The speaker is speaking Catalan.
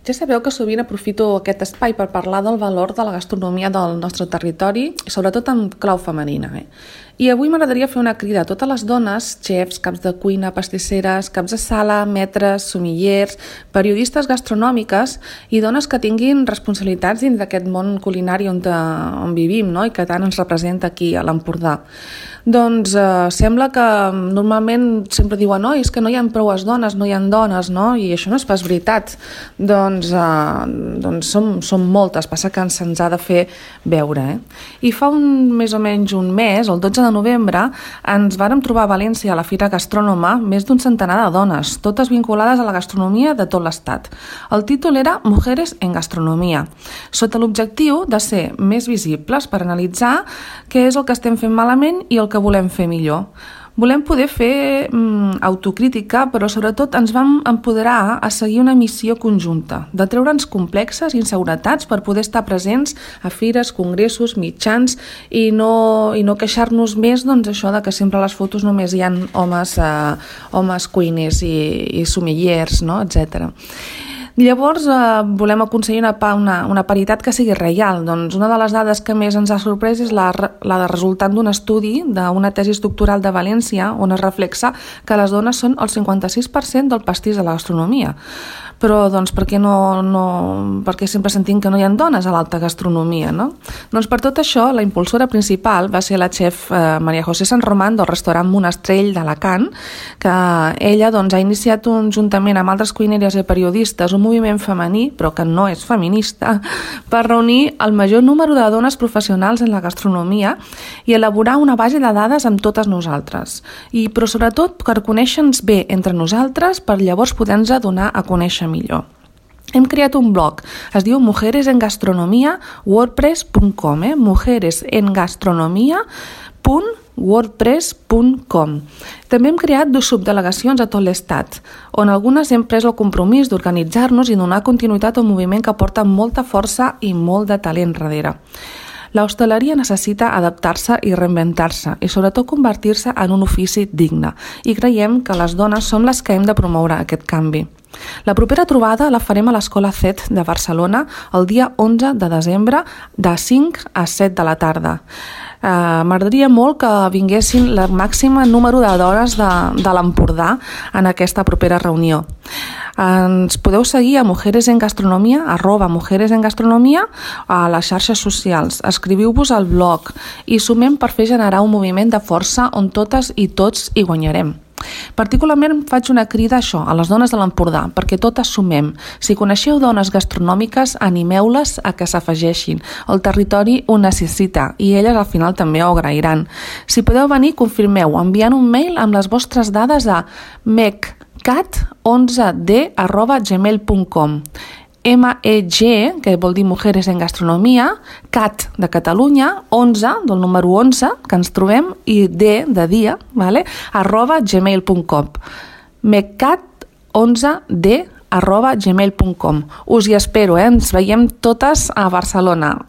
Ja sabeu que sovint aprofito aquest espai per parlar del valor de la gastronomia del nostre territori, sobretot en clau femenina. I avui m'agradaria fer una crida a totes les dones, xefs, caps de cuina, pastisseres, caps de sala, metres, somillers, periodistes gastronòmiques i dones que tinguin responsabilitats dins d'aquest món culinari on vivim, no? I que tant ens representa aquí a l'Empordà. Doncs sembla que normalment sempre diuen és que no hi ha prou dones, no hi ha dones, no? I això no és pas veritat. Doncs som moltes, passa que se'ns ha de fer veure. I fa més o menys un mes, el 12 de novembre, ens vàrem trobar a València a la Fira Gastrònoma més d'un centenar de dones, totes vinculades a la gastronomia de tot l'estat. El títol era Mujeres en Gastronomia, sota l'objectiu de ser més visibles per analitzar què és el que estem fent malament i el que volem fer millor. Volem poder fer autocrítica, però sobretot ens vam empoderar a seguir una missió conjunta, de treure'ns complexes i inseguretats per poder estar presents a fires, congressos, mitjans i no queixar-nos més això de que sempre a les fotos només hi ha homes cuiners i somillers, no? etc. Llavors volem aconseguir una paritat que sigui real. Doncs una de les dades que més ens ha sorprès és la de resultant d'un estudi d'una tesi doctoral de València on es reflexa que les dones són el 56% del pastís de la gastronomia. Però doncs per què sempre sentim que no hi ha dones a l'alta gastronomia, no? Doncs per tot això la impulsora principal va ser la xef Maria José San Román del restaurant Monestrell d'Alacant, que ella ha iniciat juntament amb altres cuineres i periodistes un moviment femení, però que no és feminista, per reunir el major número de dones professionals en la gastronomia i elaborar una base de dades amb totes nosaltres. Però sobretot per conèixer-nos bé entre nosaltres, per llavors poder-nos donar a conèixer millor. Hem creat un blog, es diu mujeresengastronomia.wordpress.com, mujeresengastronomia.wordpress.com. També hem creat 2 subdelegacions a tot l'estat, on algunes hem pres el compromís d'organitzar-nos i donar continuïtat a un moviment que porta molta força i molt de talent darrere. L'hostaleria necessita adaptar-se i reinventar-se i sobretot convertir-se en un ofici digne i creiem que les dones som les que hem de promoure aquest canvi. La propera trobada la farem a l'Escola CET de Barcelona el dia 11 de desembre de 5 a 7 de la tarda. M'agradaria molt que vinguessin el màxim número de dones de l'Empordà en aquesta propera reunió. Ens podeu seguir a @mujeresengastronomia a les xarxes socials. Escriviu-vos al blog i sumem per fer generar un moviment de força on totes i tots hi guanyarem. Particularment faig una crida a les dones de l'Empordà, perquè totes sumem. Si coneixeu dones gastronòmiques, animeu-les a que s'afegeixin. El territori ho necessita i elles al final també ho agrairan. Si podeu venir, confirmeu, enviant un mail amb les vostres dades a mec11d@gmail.com. MEG, que vol dir Mujeres en Gastronomia, CAT de Catalunya, 11, del número 11, que ens trobem, i D de dia, @gmail.com. meccat11d@gmail.com. Us hi espero, ens veiem totes a Barcelona.